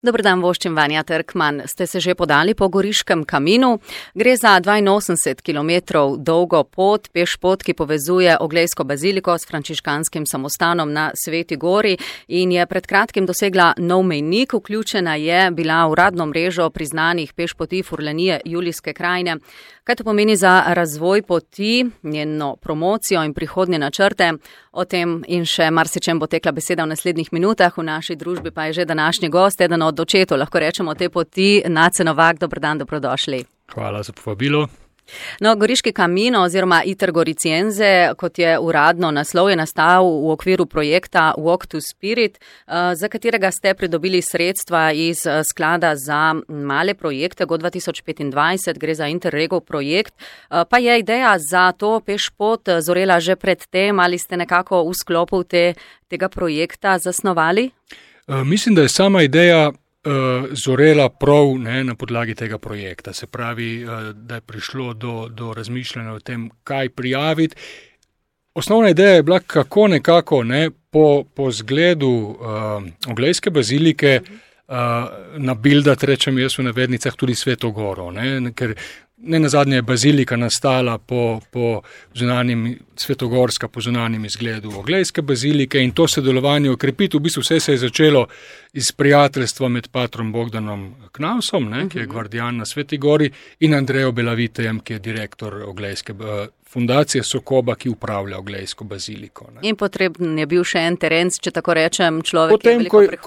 Dober dan, voščim Vanja Trkman. Ste se že podali po Goriškem kaminu? Gre za 82 km dolgo pot, pešpot, ki povezuje Oglejsko baziliko s frančiškanskim samostanom na Sveti Gori in je pred kratkim dosegla nov mejnik. Vključena je bila v uradno mrežo priznanih pešpoti Furlanije Julijske krajine. Kaj to pomeni za razvoj poti, njeno promocijo in prihodnje načrte? O tem in še marsičem bo tekla beseda v naslednjih minutah. V naši družbi pa je že današnji gost, eden od očetov, lahko rečemo, te poti, Nace Novak. Dober dan, dobrodošli. Hvala za povabilo. No, Goriški kamino oziroma Iter Goriciense, kot je uradno naslov, je nastal v okviru projekta Walk to Spirit, za katerega ste pridobili sredstva iz sklada za male projekte Go 2025, gre za Interregov projekt. Pa je ideja za to pešpot zorela že pred tem, ali ste nekako v sklopu tega projekta zasnovali? Mislim, da je sama ideja zorela prav na podlagi tega projekta. Se pravi, da je prišlo do razmišljanja o tem, kaj prijaviti. Osnovna ideja je bila, kako nekako po zgledu Oglejske bazilike nabildati, rečem jaz v navednicah, tudi Sveto Goro. Ker nenazadnje je bazilika nastala po svetogorska po zunanjem izgledu Oglejske bazilike in to sodelovanje okrepiti. V bistvu vse se je začelo iz prijateljstva med patrom Bogdanom Knausom, ki je gvardijan na Sveti Gori, in Andrejo Belavitejem, ki je direktor Oglejske fundacije Sokoba, ki upravlja Oglejsko baziliko. In potreben je bil še en teren, če tako rečem, človek, potem, ki je veliko prehodil.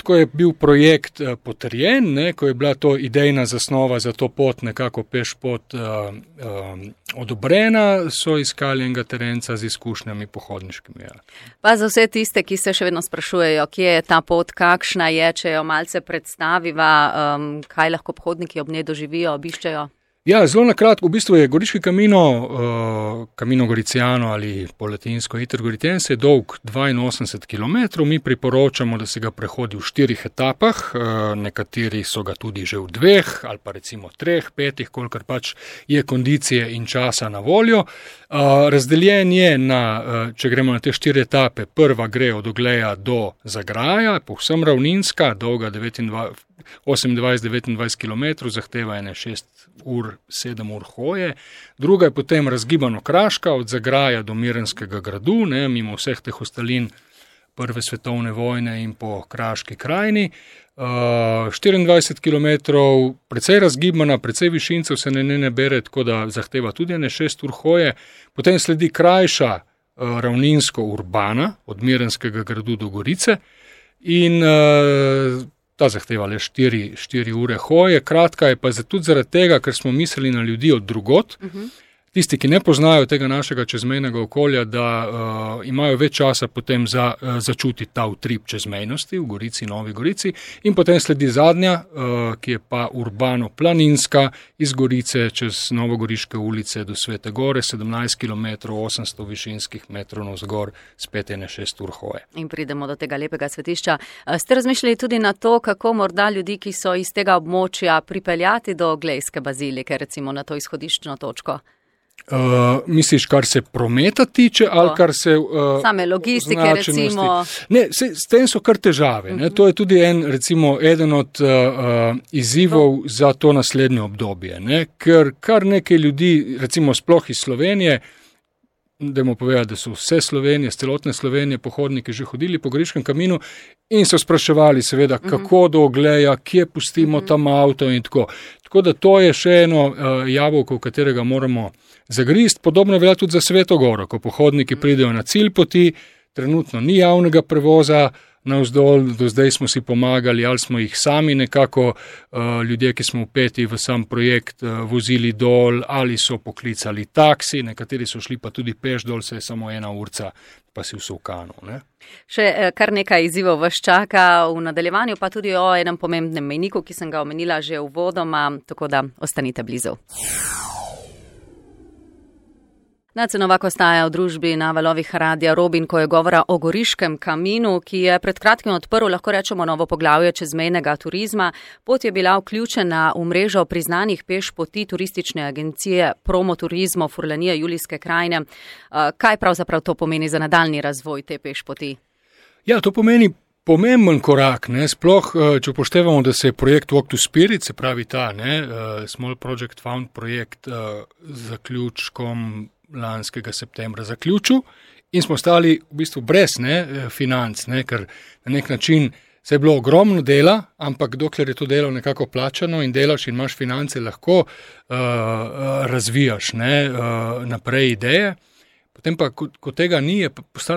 Ko je bil projekt potrjen, ko je bila to idejna zasnova za to pot, nekako pešpot odobrena, so iskali enega terenca z izkušnjami pohodniškimi. Pa za vse tiste, ki se še vedno sprašujejo, kje je ta pot, kakšna je, če jo malce predstaviva, kaj lahko pohodniki ob njej doživijo, obiščejo? Ja, zelo na kratko, v bistvu je Goriški Camino Goriciano ali po latinsko Iter Goriciense je dolg 82 km. Mi priporočamo, da se ga prehodi v 4 etapah, nekateri so ga tudi že v 2 ali pa recimo 3, 5, kolikor pač je kondicije in časa na voljo. Razdeljen je če gremo na te 4 etape, prva gre od Ogleja do Zagraja, povsem ravninska, dolga 28-29 km, zahteva 7 ur hoje. Druga je potem razgibano kraška od Zagraja do Mirenskega gradu, mimo vseh teh ostalin Prve svetovne vojne in po Kraški krajini. 24 km, precej razgibana, precej višincev se ne bere, tako da zahteva tudi 6 ur hoje. Potem sledi krajša ravninsko urbana od Mirenskega gradu do Gorice in ta zahteva le 4 ure hoje. Kratka je pa tudi zaradi tega, ker smo mislili na ljudi od drugot. Tisti, ki ne poznajo tega našega čezmejnega okolja, da imajo več časa potem za začutiti ta utrip čezmejnosti v Gorici, Novi Gorici. In potem sledi zadnja, ki je pa urbano-planinska, iz Gorice čez Novogoriške ulice do Svete Gore, 17 km, 800 višinskih metrov navzgor, spet 6 ur hoje. In pridemo do tega lepega svetišča. Ste razmišljali tudi na to, kako morda ljudi, ki so iz tega območja, pripeljati do Oglejske bazilike, recimo na to izhodiščno točko? Misliš, kar se prometa tiče, ali kar se same logistike, recimo? Ne, s tem so kar težave. To je tudi eden od izzivov za to naslednje obdobje. Ker kar nekaj ljudi, recimo sploh iz Slovenije, dajmo povedati, da so vse Slovenije, z celotne Slovenije pohodniki že hodili po Goriškem kaminu in so spraševali seveda, kako do Ogleja, kje pustimo tam avto in tako. Tako da to je še eno jabolko, v katerega moramo zagrist. Podobno velja tudi za Sveto Goro, ko pohodniki pridejo na cilj poti, trenutno ni javnega prevoza navzdol, do zdaj smo si pomagali, ali smo jih sami nekako, ljudje, ki smo vpeti v sam projekt, vozili dol, ali so poklicali taksi, nekateri so šli pa tudi peš dol, se je samo 1 urca, pa si v Sovkanu. Še kar nekaj izzivov vas čaka v nadaljevanju, pa tudi o enem pomembnem mejniku, ki sem ga omenila že uvodoma, tako da ostanite blizu. Nace Novak ostaja v družbi na valovih Radia Robin, ko je govora o Goriškem kaminu, ki je pred kratkim odprl, lahko rečemo, novo poglavje čezmejnega turizma. Pot je bila vključena v mrežo priznanih pešpoti turistične agencije Promoturizmo Furlanije Julijske krajine. Kaj pravzaprav to pomeni za nadaljni razvoj te pešpoti? Ja, to pomeni pomemben korak, ne, sploh, če upoštevamo, da se je projekt Walk to Spirit, se pravi ta, ne, Small Project Found projekt zaključkom lanskega septembra zaključil in smo stali v bistvu brez, ne, financ, ne, ker na nek način se je bilo ogromno dela, ampak dokler je to delo nekako plačano in delaš in imaš finance, lahko razvijaš, ne, naprej ideje. Potem pa, ko tega ni,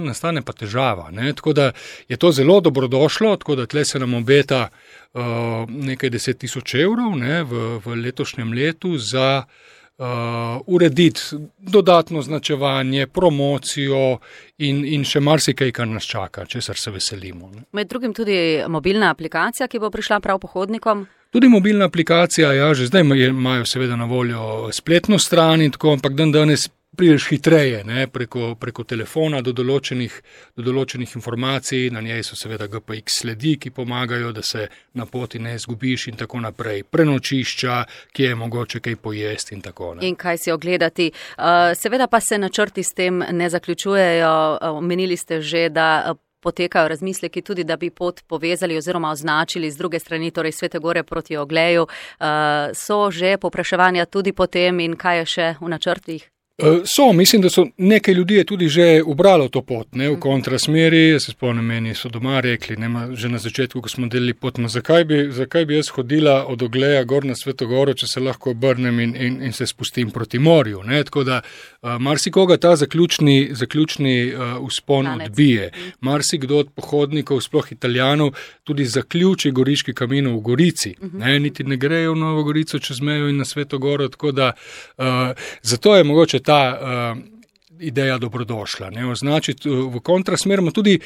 nastane pa težava. Ne? Tako da je to zelo dobrodošlo, tako da tle se nam obeta nekaj 10,000 evrov, ne, v letošnjem letu za urediti dodatno označevanje, promocijo in še marsikaj, kar nas čaka, česar se veselimo. Ne? Med drugim tudi mobilna aplikacija, ki bo prišla prav pohodnikom. Tudi mobilna aplikacija, ja, že zdaj imajo seveda na voljo spletno stran in tako, ampak danes prideš hitreje, ne, preko telefona do določenih informacij, na njej so seveda GPX sledi, ki pomagajo, da se na poti ne izgubiš in tako naprej. Prenočišča, kje je mogoče kaj pojesti in tako. Ne. In kaj si ogledati. Seveda pa se načrti s tem ne zaključujejo. Omenili ste že, da potekajo razmisleki tudi, da bi pot povezali oziroma označili z druge strani, torej Svete Gore proti Ogleju. So že povpraševanja tudi po tem in kaj je še v načrtih? Mislim, da so nekaj ljudi je tudi že ubralo to pot, ne, v kontrasmeri. Jaz se spomnim, meni so doma rekli, že na začetku, ko smo delili pot, zakaj bi jaz hodila od Ogleja gor na Sveto Goro, če se lahko obrnem in se spustim proti morju. Ne. Tako da marsikoga ta zaključni vzpon odbije. Marsikdo od pohodnikov, sploh Italijanov, tudi zaključi Goriški Camino v Gorici. Ne, niti ne grejo v Novo Gorico čez mejo in na Sveto Goro, tako da zato je mogoče ta ideja dobrodošla. Ne? Označiti v kontrasmer, ima tudi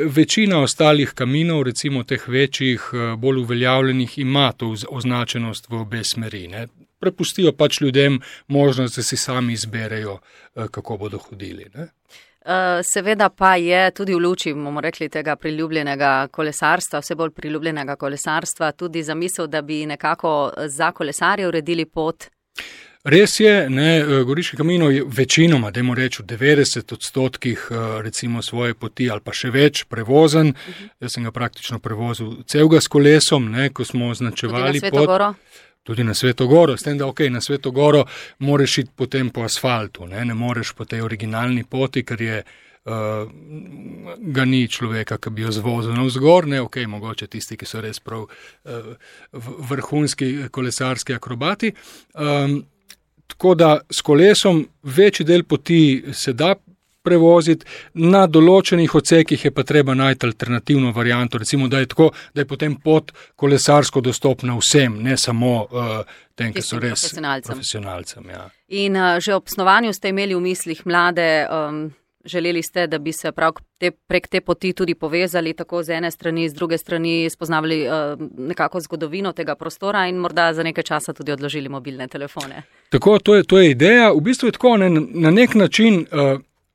večina ostalih kaminov, recimo teh večjih, bolj uveljavljenih, ima to označenost v obe smeri. Ne? Prepustijo pač ljudem možnost, da si sami izberejo, kako bodo hodili. Ne? Seveda pa je tudi v luči, bomo rekli, tega priljubljenega kolesarstva, vse bolj priljubljenega kolesarstva, tudi zamisel, da bi nekako za kolesarje uredili pot. Res je, ne, Goriški Camino je večinoma, dajmo reči, v 90% recimo svoje poti ali pa še več prevozen. Jaz sem ga praktično prevozil celega s kolesom, ne, ko smo označevali pot. Tudi na Sveto Goro. S tem, da na Sveto Goro moreš iti potem po asfaltu, ne moreš po tej originalni poti, ker je ga ni človeka, ki bi jo zvozil navzgor, ne, mogoče tisti, ki so res prav vrhunski kolesarski akrobati. Tako da s kolesom večji del poti se da prevoziti, na določenih odsekih je pa treba najti alternativno varianto, recimo, da je tako, da je potem pot kolesarsko dostopna vsem, ne samo tem, ki so res profesionalcem. Ja. In že ob snovanju ste imeli v mislih mlade, želeli ste, da bi se prav prek te poti tudi povezali, tako z ene strani, z druge strani spoznavali nekako zgodovino tega prostora in morda za nekaj časa tudi odložili mobilne telefone. Tako, to je ideja. V bistvu je tako, na nek način,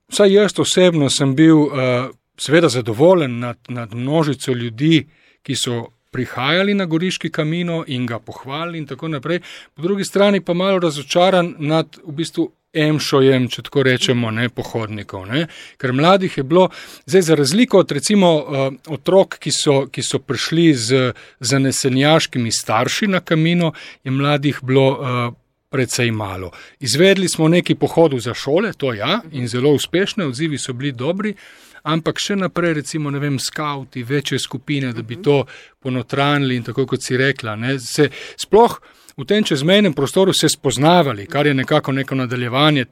vsaj jaz osebno sem bil seveda zadovoljen nad množico ljudi, ki so prihajali na Goriški Camino in ga pohvalili in tako naprej. Po drugi strani pa malo razočaran nad v bistvu emšojem, če tako rečemo, ne, pohodnikov. Ne. Ker mladih je bilo, zdaj za razliko od recimo otrok, ki so prišli z zanesenjaškimi starši na Camino, je mladih bilo precej malo. Izvedli smo nekaj pohodov za šole, to ja, in zelo uspešne, odzivi so bili dobri, ampak še naprej, recimo, ne vem, skauti, večje skupine, da bi to ponotranili in tako, kot si rekla, ne, se sploh v tem čezmejnem prostoru se spoznavali, kar je nekako neko nadaljevanje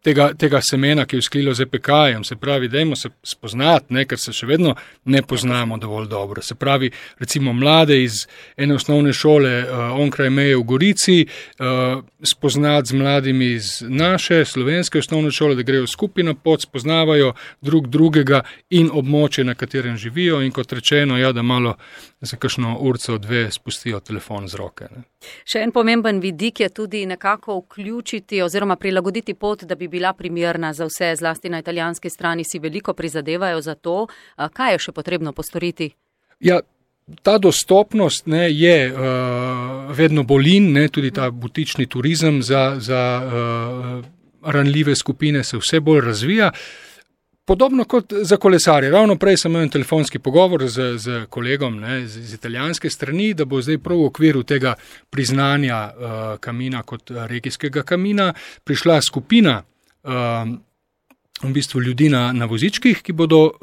tega semena, ki je vzklilo z EPK-jem, se pravi, dajmo se spoznati, ne, ker se še vedno ne poznamo dovolj dobro. Se pravi, recimo mlade iz ene osnovne šole onkraj meje v Gorici, spoznati z mladimi iz naše slovenske osnovne šole, da grejo skupaj na pot, spoznavajo drug drugega in območje, na katerem živijo in kot rečeno, ja, da malo za kakšno urco, dve spustijo telefon z roke. Ne. Še en pomemben vidik je tudi nekako vključiti oziroma prilagoditi pot, da bi bila primerna za vse, zlasti na italijanski strani si veliko prizadevajo za to. Kaj je še potrebno postoriti? Ja, ta dostopnost, ne, je vedno bolj in, ne, tudi ta butični turizem za ranljive skupine se vse bolj razvija. Podobno kot za kolesarje. Ravno prej sem imel telefonski pogovor z kolegom, ne, z italijanske strani, da bo zdaj prav v okviru tega priznanja Camina kot regijskega kamina prišla skupina v bistvu ljudi na vozičkih, ki bodo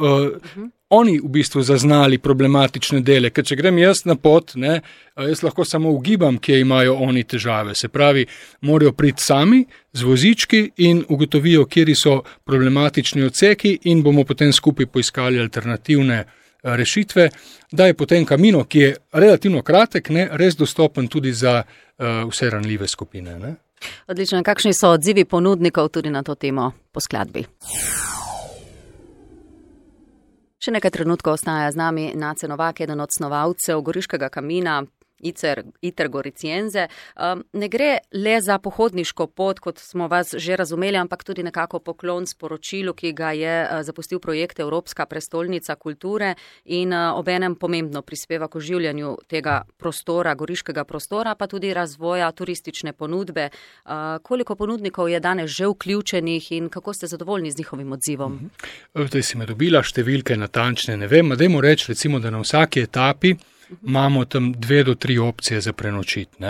oni v bistvu zaznali problematične dele, ker če grem jaz na pot, ne, jaz lahko samo ugibam, kje imajo oni težave. Se pravi, morajo priti sami z vozički in ugotovijo, kjeri so problematični odseki in bomo potem skupaj poiskali alternativne rešitve, da je potem Camino, ki je relativno kratek, ne, res dostopen tudi za vse ranljive skupine. Ne. Odlično. Kakšni so odzivi ponudnikov tudi na to temo po skladbi? Še nekaj trenutkov ostaja z nami Nace Novak, eden od snovalcev Goriškega kamina, Iter Goriciense. Ne gre le za pohodniško pot, kot smo vas že razumeli, ampak tudi nekako poklon sporočilu, ki ga je zapustil projekt Evropska prestolnica kulture in obenem pomembno prispeva k oživljanju tega prostora, goriškega prostora, pa tudi razvoja turistične ponudbe. Koliko ponudnikov je danes že vključenih in kako ste zadovoljni z njihovim odzivom? Zdaj si me dobila številke natančne, ne vem, dajmo reči recimo, da na vsaki etapi imamo tam 2 do 3 opcije za prenočiti.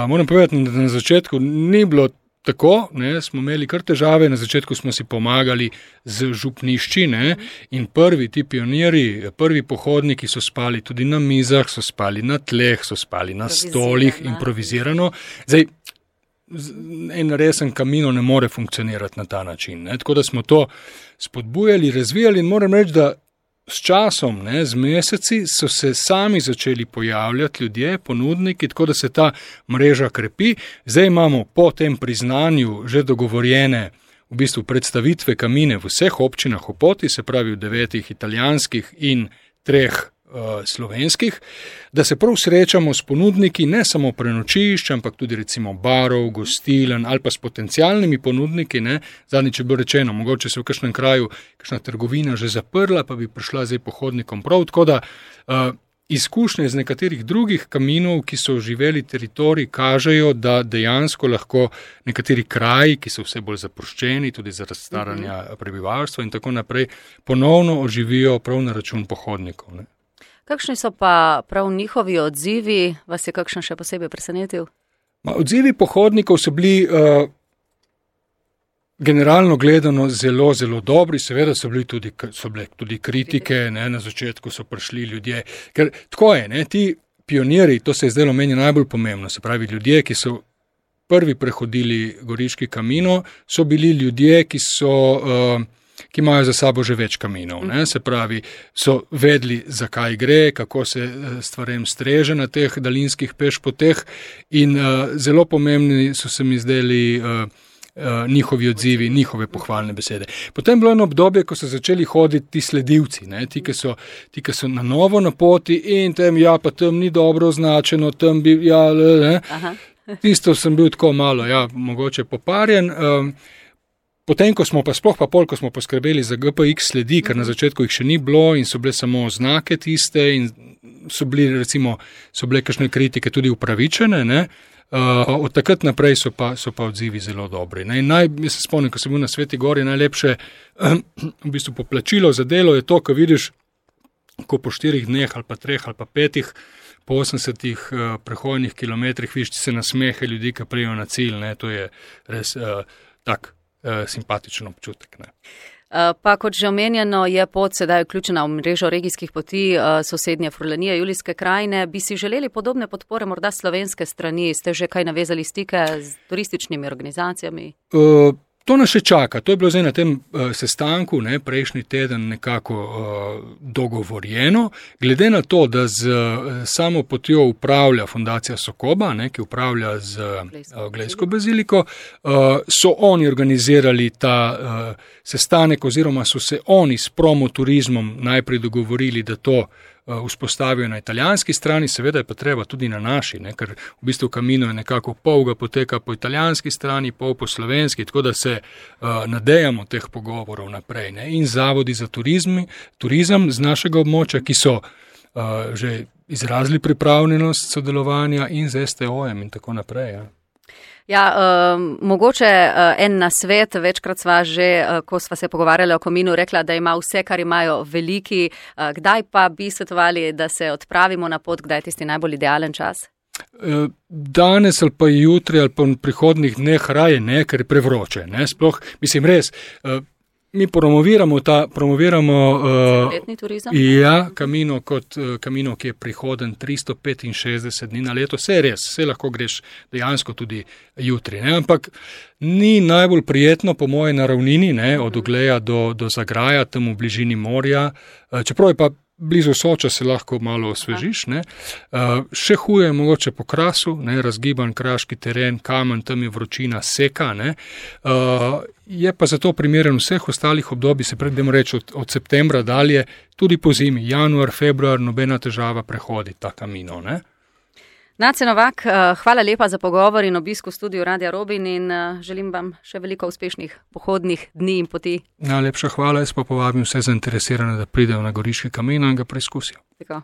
Moram povedati, da na začetku ni bilo tako, ne, smo imeli kar težave, na začetku smo si pomagali z župnišči, ne, in prvi ti pionirji, prvi pohodniki so spali tudi na mizah, so spali na tleh, so spali na stolih, improvizirano. Zdaj, en resen Camino ne more funkcionirati na ta način. Ne. Tako da smo to spodbujali, razvijali in moram reči, da s časom, ne, z meseci so se sami začeli pojavljati ljudje, ponudniki, tako da se ta mreža krepi. Zdaj imamo po tem priznanju že dogovorjene v bistvu predstavitve Camine v vseh občinah v poti, se pravi v 9 italijanskih in 3 slovenskih, da se prav srečamo s ponudniki ne samo prenočišč, ampak tudi recimo barov, gostilen ali pa s potencialnimi ponudniki. Ne. Zadnjič je bilo rečeno, mogoče se v kakšnem kraju kakšna trgovina že zaprla, pa bi prišla zdaj pohodnikom prav. Tako da izkušnje z nekaterih drugih kaminov, ki so živeli teritorij, kažejo, da dejansko lahko nekateri kraji, ki so vse bolj zapuščeni, tudi zaradi staranja prebivalstva in tako naprej, ponovno oživijo prav na račun pohodnikov. Ne. Kakšni so pa prav njihovi odzivi? Vas je kakšen še posebej presenetil? Odzivi pohodnikov so bili generalno gledano zelo, zelo dobri. Seveda so bile tudi kritike, ne, na začetku so prišli ljudje. Ker tako je, ne, ti pionirji, to se je zdelo meni najbolj pomembno, se pravi ljudje, ki so prvi prehodili Goriški Camino, so bili ljudje, ki imajo za sabo že več kaminov. Ne? Se pravi, so vedeli, zakaj gre, kako se stvarem streže na teh daljinskih pešpoteh in zelo pomembni so se mi zdeli njihovi odzivi, njihove pohvalne besede. Potem je bilo eno obdobje, ko so začeli hoditi ti sledilci, ne? Ti, ki so na novo na poti in tam ni dobro označeno, tam bi, ne? Tisto sem bil tako malo, mogoče poparjen. Potem, ko smo ko smo poskrbeli za GPX sledi, ker na začetku jih še ni bilo in so bile samo oznake tiste in so bile kakšne kritike tudi upravičene, ne? Od takrat naprej so pa odzivi zelo dobri. Ne? Jaz se spomnim, ko sem bil na Sveti Gori, najlepše v bistvu poplačilo za delo je to, ko vidiš, ko po 4 dneh ali pa 3 ali pa 5 po 80 prehodnih kilometrih vidiš se nasmehe ljudi, ki prijejo na cilj. Ne? To je res tak simpatičen občutek. Ne. Pa kot že omenjeno, je pot sedaj vključena v mrežo regijskih poti sosednje Furlanije, Julijske krajine. Bi si želeli podobne podpore morda slovenske strani? Ste že kaj navezali stike z turističnimi organizacijami? To nas še čaka. To je bilo zdaj na tem sestanku, ne, prejšnji teden nekako dogovorjeno. Glede na to, da z samo potjo upravlja Fundacija Sokoba, ne, ki upravlja z Glejsko baziliko, so oni organizirali ta sestanek oziroma so se oni s promoturizmom najprej dogovorili, da to vzpostavijo na italijanski strani, seveda je pa treba tudi na naši, ne, ker v bistvu Camino je nekako pol ga poteka po italijanski strani, pol po slovenski, tako da se nadejamo teh pogovorov naprej. Ne, in zavodi za turizem z našega območja, ki so že izrazili pripravljenost sodelovanja in z STO-jem in tako naprej. Ja. Ja, mogoče en nasvet, večkrat sva že, ko sva se pogovarjala o Kaminu, rekla, da ima vse, kar imajo veliki. Kdaj pa bi svetovali, da se odpravimo na pot, kdaj je tisti najbolj idealen čas? Danes ali pa jutri ali pa v prihodnih dneh raje ne, ker je prevroče. Ne? Sploh, mislim res, mi promoviramo letni turizem. Ja, Camino, ki je prihoden 365 dni na leto. Vse je res, vse lahko greš dejansko tudi jutri. Ne? Ampak ni najbolj prijetno po moje na ravnini, ne? Od Ogleja do Zagraja, tam v bližini morja. Čeprav je pa blizu Soča, se lahko malo osvežiš. Ne? Še huje je mogoče po Krasu, ne? Razgiban kraški teren, kamen, tam je vročina, seka. Ne? Je pa zato primeren vseh ostalih obdobij, se predvsem reči od septembra dalje, tudi po zimi, januar, februar, nobena težava prehodi ta Camino. Ne? Nace Novak, hvala lepa za pogovor in obisk v studiu Radia Robin in želim vam še veliko uspešnih pohodnih dni in poti. Najlepša hvala, jaz pa povabim vse zainteresirane, da pridejo na Goriški Camino in ga preizkusijo. Tako.